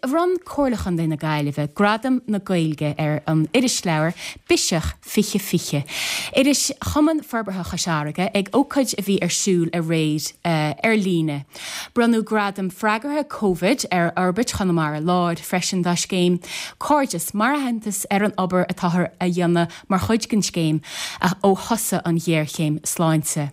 bhronn Comhairle Chontae na Gaillimhe Gradam na Gaeilge ar an irisleabhar Biseach 2020, iris Chumann Forbartha Chois Fharraige, ag ócáid a bhí ar siúl aréir ar líne. Bronnadh Gradam Freagartha Covid ar Fhorbairt Chonamara Láir freisin dá scéim Cairdeas mar aitheantas ar an obair atáthar a dhéanamh mar chuid den scéim ó thosaigh an ghéarchéim sláinte.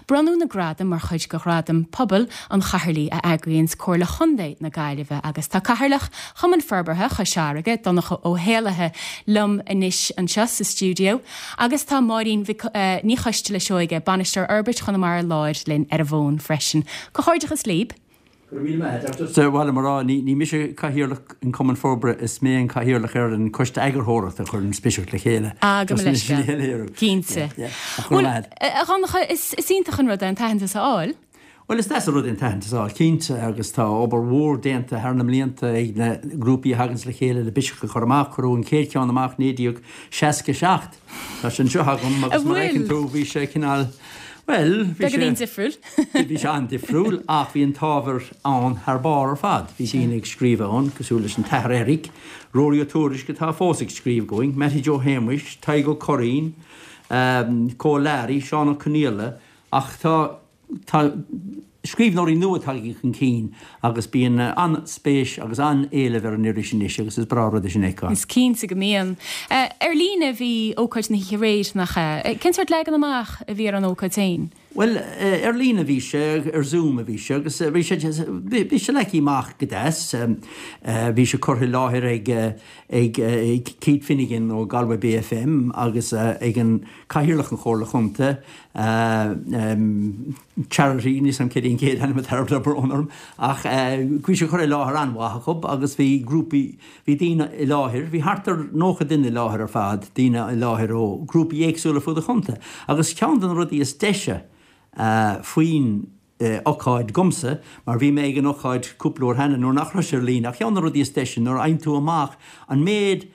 Bronnadh na gradaim mar chuid de Ghradaim Pobail an Chathaoirligh a eagraíonns Comhairle Chontae na Gaillimhe agus tá Cathaoirleach Chumann Forbartha Chois Fharraige, Donncha Ó hÉallaithe, liom anois anseo sa stiúideo agus tá Máirín Ní Choisteala Seoige, Bainisteoir Fhorbairt Chonamara Láir linn ar an bhfón freisin. Comhghairdeachas libh! Go raibh míle maith agat. Just ba mhaith liom a rá, ní mise Cathaoirleach an Chumainn Forbartha, is mé an Cathaoirleach ar an Choiste Eagarthóireachta a chuir an Biseach le chéile. Ah, gabh mo leithscéal. Cinnte. Bhuel, a Dhonncha, is iontach an rud é an t-aitheantas a fháil. Bhuel, is deas an rud é an t-aitheantas a fháil, cinnte, agus tá obair mhór déanta thar na mblianta ag na grúpaí a thaganns le chéile le Biseach a chur amach. Cuireadh an chéad cheann amach 1967. Tá sé anseo agam agus mar a fheiceann tú bhí sé cineál, bhuel, bhí sé. Beagáinín difriúil. Bhí sé an-difriúil ach bhí an t-ábhar ann thar barr ar fad. Bhí daoine ag scríobh ann cosúil leis an tAthair Eric, Ruairí Ó Tuairisg atá fós ag scríobh dhúinn, Mattie Joe Shéamuis, Tadhg Ó Curraoin, Cóil Learaí, Seán Ó Conaola ach tá tá scríbhneoirí nua tagtha chun cinn agus bíonn an-spéis agus an-éileamh ar an iris anois agus is breá an rud é sin a fheiceáil. Is cinnte go mbíonn. Ar líne a bhí ócáid na hoíche aréir, nach ea? Cén sórt leagan amach a bhí ar an ócáid féin? Bhuel, ar líne a bhí sé, ar Zoom a bhí sé agus bhí sé, bhí sé leagtha amach go deas. Bhí sé curtha i láthair ag, ag Keith Finnegan ó Galway Bay FM agus ag an Cathaoirleach an Chomhairle Chontae, Charity, níl 's a'm céard é an chéad ainm atá air, tá brón orm, ach bhí sé curtha i láthair an-mhaith acu agus bhí grúpaí, bhí daoine i láthair, bhí thart ar 90 duine i láthair ar fad, daoine i láthair ó ghrúpaí éagsúla fud an chontae. Agus ceann de na rudaí is deise faoin ocáid dhomsa, mar bhí mé ag an ocáid cúpla uair cheana nuair nach raibh sé ar líne, ach ceann de na rudaí is deise nuair a fhaigheann tú amach an méid,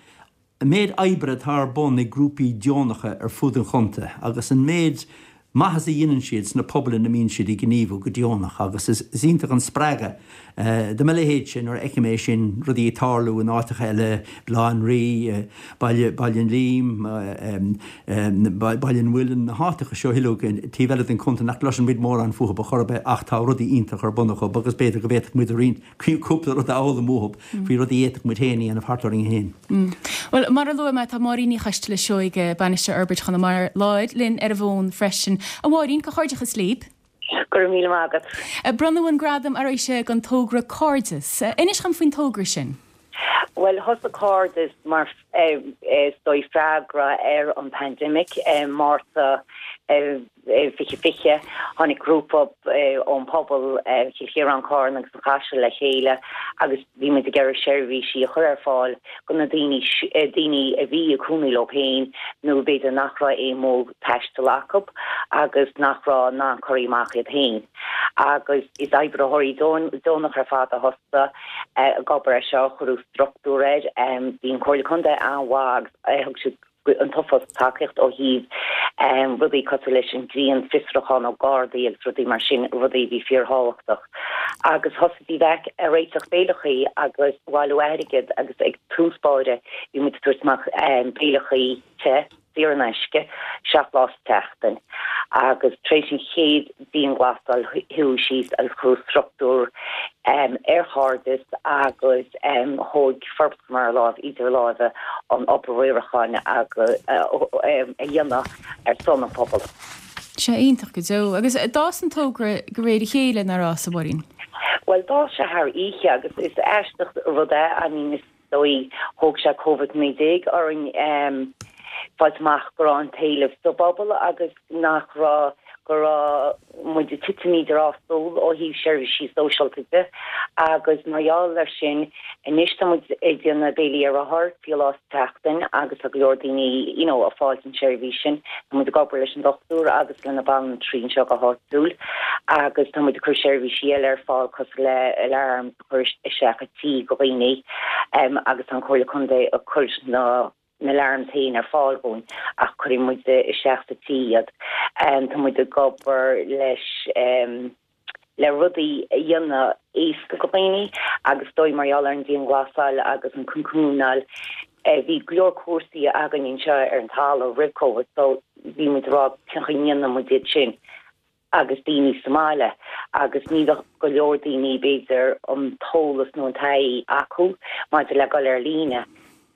an méid oibre atá ar bun ag grúpaí deonacha ar fud an chontae agus an méid maitheas a dhéanann siad sna pobail ina mbíonn siad ag gníomhú go deonach agus is iontach an spreagadh do mo leithéidse nuair a fheicim é sin, rudaí ag tarlú in áiteacha eile, Baile Átha an Rí, Baile, Baile an Lím, Baile an Mhuilinn, na háiteacha seo uilig taobh eile den chontae nach gcloiseann muid mórán fúthu ar chor ar bith ach tá rudaí iontacha ar bun acu agus b'fhéidir go bhféadfadh muid a roinnt cúpla rud a fhoghlaim uathu faoi rudaí a fhéadfadh muid féin a dhéanamh thart orainn féin. Bhuel, mar a luaigh mé, tá Máirín Ní Choisteala Seoige, Bainisteoir Fhorbairt Chonamara Láir, linn ar an bhfón freisin. A Mháirín, comhghairdeachas libh. Go raibh míle maith agat. Bronnadh an gradam aréir don togra Cairdeas. Inis dhom faoin togra sin. Bhuel, thosaigh Cairdeas mar is dóigh freagra ar an pandemic i Márta 2020. Tháinig grúpa ón pobal, Cill Chiaráin, Carna agus an Chaiseal le chéile agus bhí muid ag iarraidh seirbhísí a chur ar fáil do na daoine, daoine a bhí ag cónaí leo féin nó b'fhéidir nach raibh aon mhodh taistil acu agus nach raibh in ann cur amach iad féin. Agus is oibritheoirí deonach ar fad a thosaigh ag obair ar seo, cuireadh struchtúr air. Bhí an Chomhairle Contae an-mhaith agus thug siad an t-uafás tacaíocht ó thaobh rudaí cosúil leis an grianfhiosrúchán ó Gardaí agus rudaí mar sin, rudaí a bhí fíorthábhachtach. Agus thosaigh DVAC ag réiteach béileachaí agus bailiú airgid agus ag tús báire bhí muid ag tabhairt amach béileachaí te, saor in aisce, 7 lá sa tseachtain. Agus tar éis an chéad dianghlasáil suíodh síos agus cuireadh struchtúr ar Chairdeas agus thóg Forbairt Chonamara Láir idir láimhe an obair riaracháin a dhéanamh ar son an phobail. Sea, iontach go deo. Agus d'fhás an togra de réir a chéile, nár fhás, a Mháirín? Bhuel, d'fhás sé thar oíche agus is aisteach rud é, I mean, is dóigh, thóg sé Covid-19 orainn fáilt amach go raibh an t-éileamh sa bpobal agus nach raibh, go raibh muid ag titim idir dhá stól ó thaobh seirbhísí sóisialta de agus mar gheall air sin anois tá muid ag déanamh béilí ar rothar fiche lá sa tseachtain agus tá go leor daoine you know ag fáilt an seirbhís sin. Tá muid ag obair leis an dochtúir agus le na banaltraí anseo go háitiúil agus tá muid ag cur seirbhísí eile ar fáil cosúil le alarms a chur isteach i tí go dhaoine agus tá an Chomhairle Contae ag cur na na alarms féin ar fáil dhúinn ach cuireann muid isteach sa tí iad. Tá muid ag obair leis. le rudaí a dhéanamh éasca go dhaoine agus is dóigh mar gheall ar an dianghlasáil agus an cocoonáil bhí go leor cúrsaí againn anseo ar an talamh roimh Covid so bhí muid ag rá cén chaoi a ndéanann muid iad sin agus daoine sa mbaile agus ní bheadh go leor daoine b'fhéidir an t-eolas nó an taithí acu maidir le dul ar líne.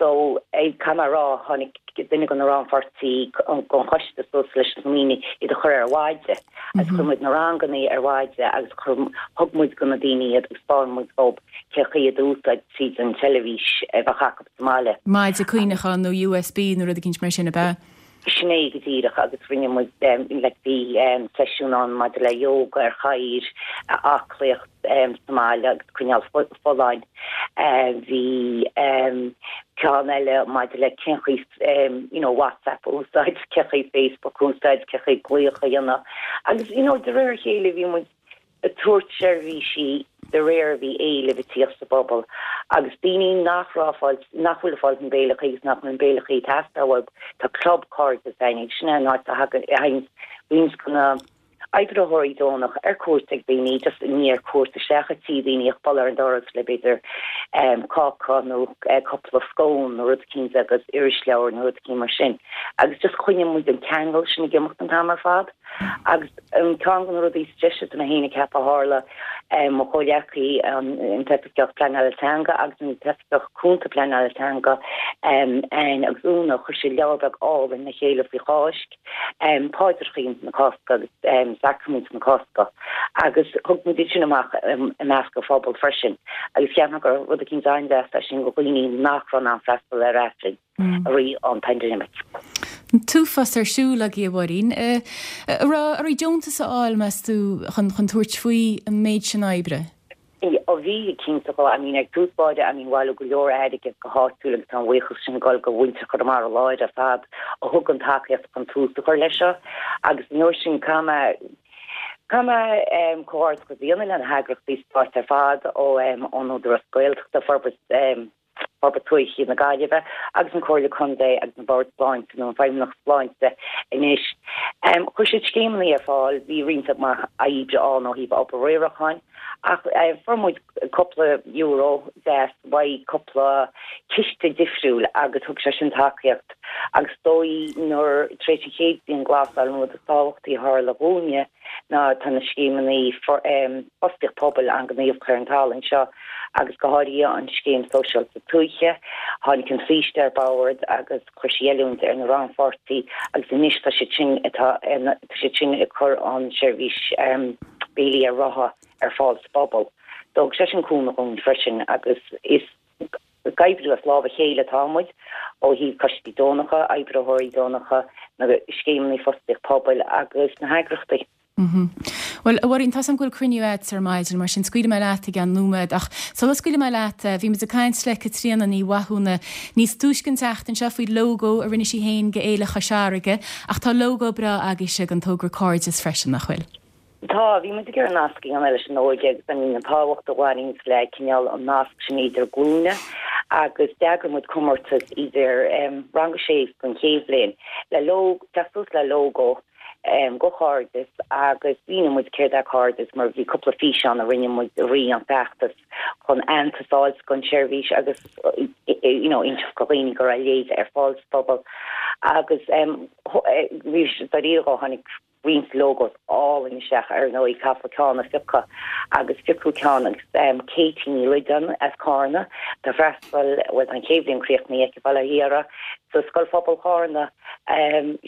So, caithfidh mé a rá, tháinig duine de na rannpháirtí den choiste suas leis an smaoineamh iad a chur ar mhaide agus chuir muid na ranganna ar mhaide agus chuir, thug muid go na daoine iad agus 'spáin muid dóibh cé chaoi iad a úsáid tríd an teilifís a bheadh acu sa mbaile. Maide cuimhneacháin nó USB nó rud eicínt mar sin, ab ea? Sin é go díreach agus rinne muid, like, bhí seisiún ann maidir le yoga ar chathaoir, aclaíocht sa mbaile agus coinneáil folláin. Bhí ceann eile maidir le cén chaoi, you know, WhatsApp a úsáid, cén chaoi Facebook a úsáid, cén chaoi glaoch a dhéanamh agus, you know, de réir a chéile bhí muid ag tabhairt seirbhísí de réir a bhí éileamh ag tíocht sa bpobal agus daoine nach raibh fáil, nach bhfuil ag fáil na béileachaí agus nach bhfuil na béileachaí ag teastáil uathu, tá Club Cairdeas againn agus sin é an áit a thagann, a thagann roinnt de na oibritheoirí deonach ar cuairt ag daoine, just ní ar cuairt isteach ag tí daoine ach bualadh ar an doras le b'fhéidir cáca nó cúpla scone nó rud eicínt agus irisleabhar nó rud eicínt mar sin agus just coinníonn muid an ceangal sin ag imeacht an t-am ar fad. Agus an ceann de na rudaí is deise dom féin a ceapadh a tharla, mo chomhghleacaí, an tOifigeach Pleanála Teanga agus an tOifigeach Cúnta Pleanála Teanga, Anne agus Úna, chuir siad leabhar beag álainn le chéile faoi Cháisc, Paidreachaí na Cásca agus Sacraimint na Cásca agus thug muid iad sin amach i measc an phobail freisin agus cheap mé gur rud eicínt an-deas é sin do dhaoine nach raibh in ann freastal ar Aifreann. i rith an pandemic. An t-uafás ar siúl agaibh, a Mháirín. An raibh oraibh deontas a fháil, meas tú, chun tabhairt faoi an méid sin oibre? Ó bhí, cinnte. I mean, ag tús báire, I mean, bhailigh go leor airgead go háitiúil agus tá an bhuíochas sin ag dul go mhuintir Chonamara Láir ar fad a thug an tacaíocht chun tús a chur leis seo agus an uair sin caithfidh mé caithfidh mé comhghairdeachas a dhéanamh le na heagrachtaí stáit ar fad ó ón Údarás Gaeltachta, Forbairt Forbairt Tuaithe na Gaillimhe agus an Comhairle Contae agus an Bord Sláinte nó an Feidhmeannacht Sláinte anois. Chuir siad scéimeanna ar fáil, bhí roinnt mhaith oibre ann ó thaobh obair riaracháin ach fuair muid cúpla euro deas uaidh cúpla ciste difriúil agus thug sé sin tacaíocht agus is dóigh nuair tar éis an chéad dianghlasáil an rud is tábhachtaí a tharla dhúinne ná tá na scéimeanna fostaíocht pobail an-ghníomhach ar an talamh anseo agus go háirithe an Scéim Sóisialta Tuaithe. Tháinig an Saoiste ar bord agus chuir sí oiliúint ar na rannpháirtí agus anois tá siad sin tá siad sin ag cur an seirbhís béilí ar rotha ar fáil sa bpobal. Thug sé sin cúnamh dhúinn freisin agus is Ag oibriú as lámh a chéile atá muid, ó thaobh coistí deonacha, oibritheoirí deonacha, na scéimeanna fostaíocht pobail agus na heagrachtaí. Bhuel, a Mháirín, tá's agam go bhfuil cruinniú agat ar maidin, mar sin scaoilfidh mé leat i gceann nóiméad. Ach sula scaoilfidh mé leat, bhí muid ag caint le Caitríona Ní Mhathúna níos túisce an tseachtain seo faoi lógó a rinne sí féin do Fhéile Chois Fharraige, ach tá lógó breá agaibhse don togra Cairdeas freisin, nach bhfuil? Tá, bhí muid ag iarraidh nasc a dhéanamh leis an óige agus I mean an tábhacht a bhaineanns le cineál an nasc sin idir glúine agus d'eagraigh muid comórtas idir rang a sé don chéad bhliain le lóg, teacht suas le lógó go Cairdeas agus mhínigh muid céard é Cairdeas mar bhí cúpla físeán a rinne muid i rith an feachtas chun aitheantas a fháilt don seirbhís agus you know inseacht do dhaoine go raibh a leithéid ar fáil sa phobal agus bhí dáiríre dhó tháinig roinnt logos álainn isteach ar ndóigh caithfear ceann a phiocadh agus piocadh ceann agus Katie Ní Loideáin as Cárna ag freastal bhuel tá an chéad bhliain críochnaithe aici bail ó Dhia uirthi sa Scoil Phobail Chárna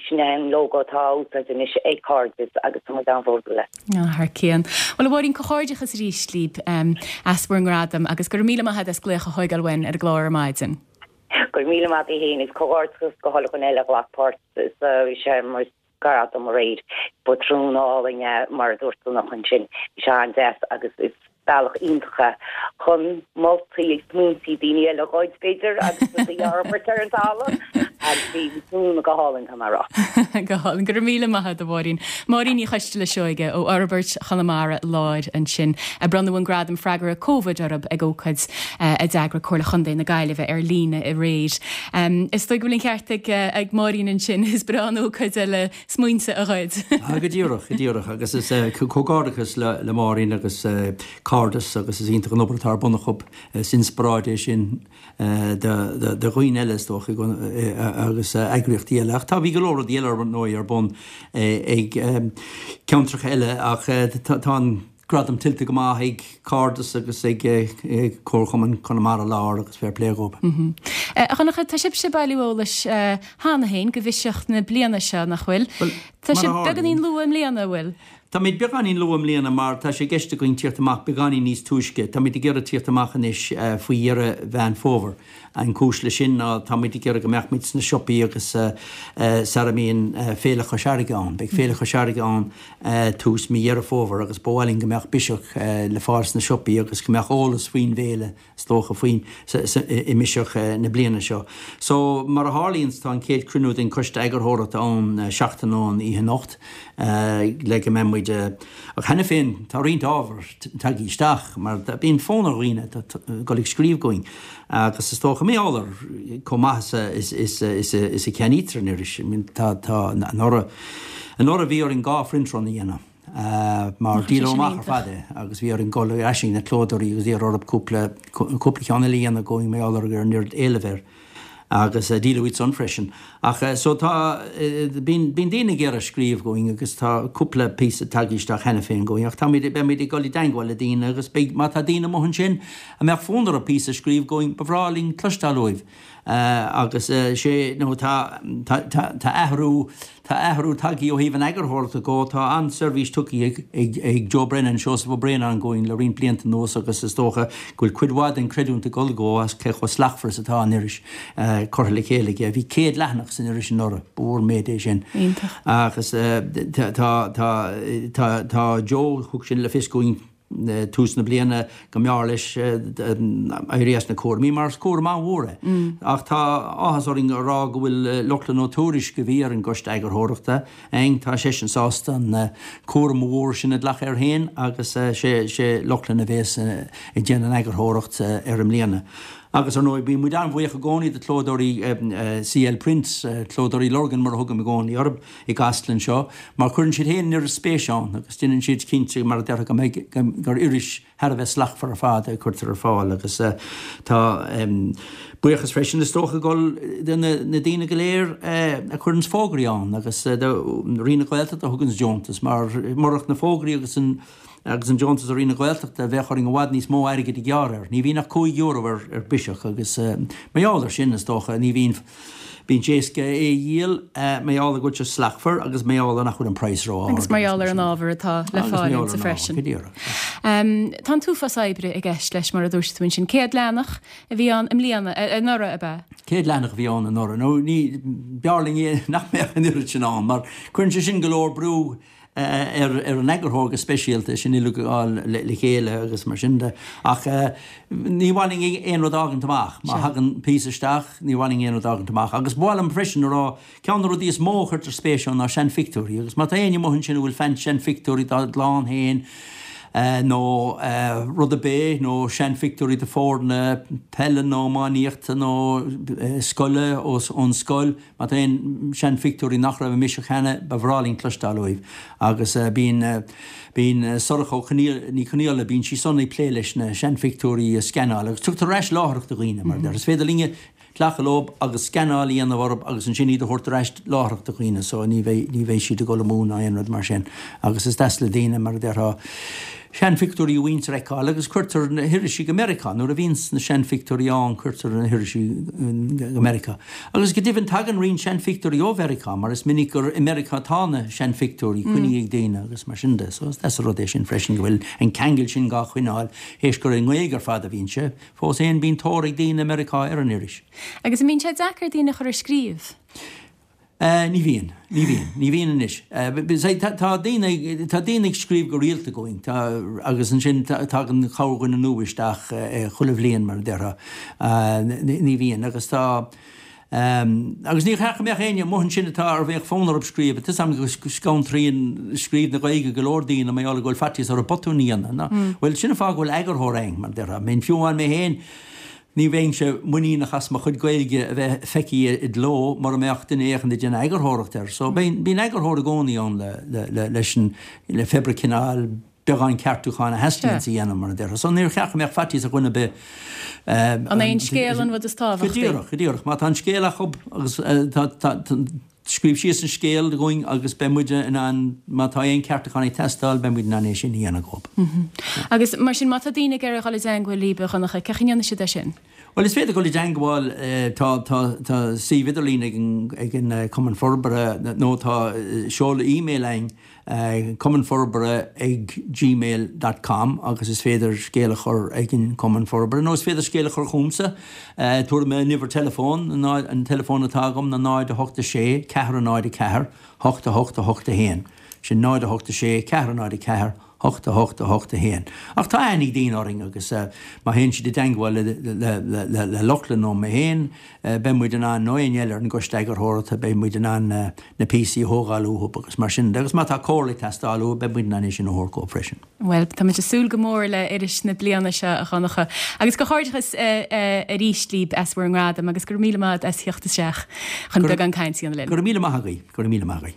sin é an logo atá á úsáid anois ag Cairdeas agus tá muid an-bhródúil as. Thar cionn. Bhuel a Mháirín comhghairdeachas arís libh as bhur ngradam agus go raibh míle maith agat as glaoch a thógáil uainn ar an gclár ar maidin. Go raibh míle maith agat féin agus comhghairdeachas go chuile dhuine eile a ghlac páirt sa searmanas. Gradam aréir. Patrún álainn é, mar a dúirt tú ansin. Bhí sé an-deas agus is bealach iontach é chun moltaí agus smaointí daoine eile a ghoid, b'fhéidir, agus rudaí a fhorbairt ar an talamh. Agus bhí tráthnóna go hálainn, tá mé a rá. Go hálainn. Go raibh míle maith agat, a Mháirín. Máirín Ní Choisteala Seoige ó Fhorbairt Chonamara Láir ansin, a bronnadh an Gradam Freagartha Covid orthu ag ócáid a d'eagraigh Comhairle Chontae na Gaillimhe ar líne aréir. Is dóigh go bhfuil an ceart ag Máirín ansin, is breá an ócáid é le smaointe a ghoid. Go díreach, go díreach. Agus is comhghairdeachas le Máirín agus Cairdeas agus is iontach an obair atá ar bun acu. Is inspioráid é sin do dhaoine eile is dócha agus eagraíochtaí eile. Ach tá, bhí go leor rudaí eile ar ndóigh ar bun ag ceantracha eile ach tá an gradam tuillte go maith ag Cairdeas agus ag Comharchumann Chonamara Láir agus fair play dhóibh. A Dhonncha, tá sibhse ag bailiú eolais cheana féin do Bhiseach na bliana seo, nach bhfuil? Tá sibh beagáinín luath i mbliana, an bhfuil? Táimid beagáinín luath i mbliana mar tá sé i gceist againn tíocht amach beagáinín níos túisce. Táimid ag iarraidh tíocht amach anois faoi dheireadh Mheán Fómhair. An cúis leis sin ná táimid ag iarraidh go mbeadh muid sna siopaí agus sara mbíonn Féile Chois Fharraige ann. Beidh Féile Chois Fharraige ann tús mí Dheireadh Fómhair agus ba mhaith linn go mbeadh Biseach le fáil sna siopaí agus go mbeadh eolas faoin bhféile is dócha, faoin, i mBiseach na bliana seo. So, mar a tharlaíonns, tá an chéad chruinniú den Choiste Eagarthóireachta ann seachtain ón oíche anocht le go mbeidh muid, ach cheana féin tá roinnt ábhar tagtha isteach mar bíonn fonn ar dhaoine dul ag scríobh chugainn agus is dócha, mar gheall ar chomh maith is a cheannaítear an iris, tá, tá, anuraidh, anuraidh bhí orainn 2 print run a dhéanamh. mar díoladh amach ar fad é agus bhí orainn dul ar ais chuig na clódóirí agus iarraidh orthu cúpla cúpla ceann eile a dhéanamh dhúinn mar gheall ar an oiread éilimh air agus díoladh iad san freisin. Ach so tá bíonn bíonn daoine ag iarraidh scríobh chugainn agus tá cúpla píosa tagtha isteach cheana féin chugainn ach táimid beimid ag dul i dteangmháil le daoine agus beidh má tá daoine amuigh ansin a mbeadh fonn orthu píosa a scríobh chugainn ba bhreá linn cloisteáil uaibh. Agus sé nó tá tá athrú tá athrú tagtha ó thaobh an eagarthóireachta dhó. Tá an-seirbhís tugtha ag ag Joe Brennan, Seosamh Ó Braonáin dhúinn le roinnt blianta anuas agus is dócha go bhfuil cuid mhaith den chreidiúint ag dul dhó as cé chomh slachtmhar is atá an iris curtha le chéile aige. Bhí 100 leathanach san iris anuraidh, ba mhór an méid é sin. Iontach. Agus tá tá tá tá Joe, thug sin le fios dhúinn, tús na bliana go mb'fhearr leis éirí as na cúraimí mar is cúram an-mhór é. Ach tá áthas orainn a rá go bhfuil Lochlainn Ó Tuairisg a bhí ar an gcoiste eagarthóireachta againn, tá seisean sásta an cúram mhór sin a ghlacadh air féin agus sé Lochlainn a bhéas ag déanamh an eagarthóireacht air i mbliana. Agus ar ndóigh bíonn muid an-bhuíoch i gcónaí do chlódóirí CL Print, Clódóirí Lurgan mar a thugaim i gcónaí orthu, i gCasla anseo, mar cuireann siad féin an oiread spéise ann agus déanann siad cinnte, mar a déarfá, go mbeidh, gur iris thar a bheith slachtmhar ar fad a chuirtear ar fáil agus tá buíochas freisin is dócha ag dul do na daoine go léir a chuireanns fógraí ann agus do Roinn na Gaeltachta a thuganns deontas mar murach na fógraí agus an agus an deontas ó Roinn na Gaeltachta bheadh orainn i bhfad níos mó airgid a ghearradh air. Ní bhíonn ach €5 ar Biseach agus mar gheall air sin is dócha ní bhíonn Bíonn sé éasca é a dhíol mar gheall ar go bhfuil sé slachtmhar agus mar gheall ar nach bhfuil an praghas ró-ard. Agus mar gheall ar an ábhar atá le fáil inti freisin. Tá an t-uafás oibre i gceist leis mar a dúirt tú ansin. 100 leathanach a bhí ann i mbliana, anuraidh ab ea? 100 leathanach a bhí ann anuraidh. Nó ní, b'fhearr linn é nach mbeadh an oiread sin ann mar cuireann sé sin go leor brú ar an eagarthóir go speisialta, sin uilig a fháil le chéile agus mar sin de. Ach ní mhaith linn aon rud a fhágaint amach. Má thagann píosa isteach, ní mhaith linn aon rud a fhágaint amach. Agus ba mhaith liom freisin a rá, ceann de na rudaí is mó a chuirtear spéis ann ná seanphictiúirí. Agus má tá éinne amuigh ansin a bhfuil seanphictiúirí dá gclann féin, nó rud ar bith, nó seanphictiúirí de foirne peile nó iománaíochta nó scoile, ón scoil, Má tá aon seanphictiúirí nach raibh i mBiseach cheana, ba bhreá linn cloisteáil uaibh. Agus bíonn, bíonn Sorcha Ó Conghaile, Ní Chonghaile, bíonn sí san ag plé leis na seanphictiúirí a scannáil agus tugtar ar ais láithreach do dhaoine, mar a deir. Is féidir linne glacadh leo agus scannáil a dhéanamh orthu agus ansin iad a thabhairt ar ais láithreach do dhaoine so ní bheidh, ní bheidh siad ag dul amú ná aon rud mar sin. Agus is deas le daoine, mar a déarfá. seanphictiúirí a mhuintir a fheiceáil agus cuirtear na hirisí go Meiriceá. Nuair a bhíonns na seanphictiúirí ann cuirtear na hirisí go Meiriceá. Agus go deimhin tagann roinnt seanphictiúirí ó Mheiriceá mar is minic gur i Meiriceá atá na seanphictiúirí coinnithe ag daoine agus mar sin de. So is deas an rud é sin freisin go bhfuil an ceangal sin dhá choinneáil théis gur i nGaeilge ar fad a bhíonn sé. Fós fhéin bíonn tóir ag daoine i Meiriceá ar an iris. Agus an mbíonn sé deacair daoine a chur ag scríobh? Ní bhíonn. Ní bhíonn. Ní bhíonn anois. Tá daoine, tá daoine ag scríobh go rialta chugainn. Tá, agus ansin tagann corrdhuine nua isteach chuile bhliain, mar a déarfá. Ní bhíonn. Agus tá. Agus níor cheart go mbeadh éinne amuigh ansin atá ar bheadh fonn orthu scríobh, tá 'fhios a'm go scanraíonn scríobh na Gaeilge go leor daoine mar gheall go bhfuil faitíos orthu botúin a dhéanamh. Bhuel, sin an fáth go bhfuil eagarthóir againn, mar a déarfá. I mean, fiú amháin mé féin, ní bheinnse muiníneach as mo chuid Gaeilge a bheith feicthe i gcló mura mbeadh duine éicint ag déanamh eagarthóireacht air. So, bíonn eagarthóir i gcónaí ann le, le, le, leis an, le pé ar bith cineál beagán ceartúcháin a theastaíonns a dhéanamh, mar a déarfá. So níor cheart go mbeadh faitíos ar dhuine ar bith. An é an scéal an rud is tábhachtaí? Go díreach, go díreach. Má tá an scéal acu agus tá, tá, scríobh síos an scéal dhúinn agus beidh muide in ann, má tá aon ceartúcháin ag teastáil, beidh muid in ann é sin a dhéanamh dhób. Agus mar sin, má tá daoine ag iarraidh dul i dteangmháil libh, a Dhonncha, cén chaoi a ndéanfaidh siad é sin? Bhuel, is féidir dul i dteangmháil, tá, tá, tá suíomh idirlín ag an, ag an Cumann Forbartha nó tá seoladh email againn, cumannforbartha ag gmail dot com agus is féidir scéal a chur ag an Cumann Forbartha nó is féidir scéal a chur chugamsa. Tabharfaidh mé an uimhir teileafóin, an teileafón atá agam ná 0 8 6 4 0 4 8 8 8 1. Sin 0 8 6 4 0 4 8 8 8 1. Ach tá aithne ag daoine orainn agus má théann siad i dteangmháil le Lochlainn nó mé féin, beidh muid in ann, nó éinne eile ar an gcoiste eagarthóireachta, beidh muid in ann na píosaí a thógáil uathu agus mar sin de. Agus má tá comhairle ag teastáil uathu, beidh muid in ann é sin a thabhairt dhóibh freisin. Bhuel, táimid ag súil go mór le iris na bliana seo, a Dhonncha. Agus comhghairdeachas arís libh as bhur ngradam agus go raibh míle maith agat as theacht isteach chun beagán cainte a dhéanamh linn. Go raibh míle maith agaibh. Go raibh míle maith agaibh.